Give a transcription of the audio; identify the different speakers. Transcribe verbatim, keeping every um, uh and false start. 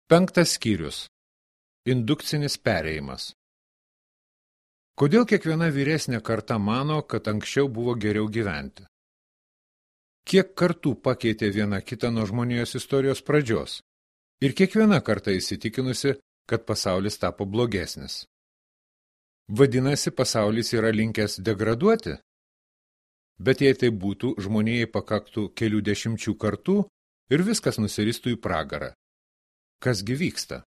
Speaker 1: Penktas skyrius. Indukcinis perėjimas. Kodėl kiekviena vyresnė karta mano, kad anksčiau buvo geriau gyventi? Kiek kartų pakeitė viena kitą nuo žmonijos istorijos pradžios? Ir kiekviena karta įsitikinusi, kad pasaulis tapo blogesnis. Vadinasi, pasaulis yra linkęs degraduoti? Bet jei tai būtų, žmonijai pakaktų kelių dešimčių kartų ir viskas nusiristų į pragarą. Kasgi vyksta?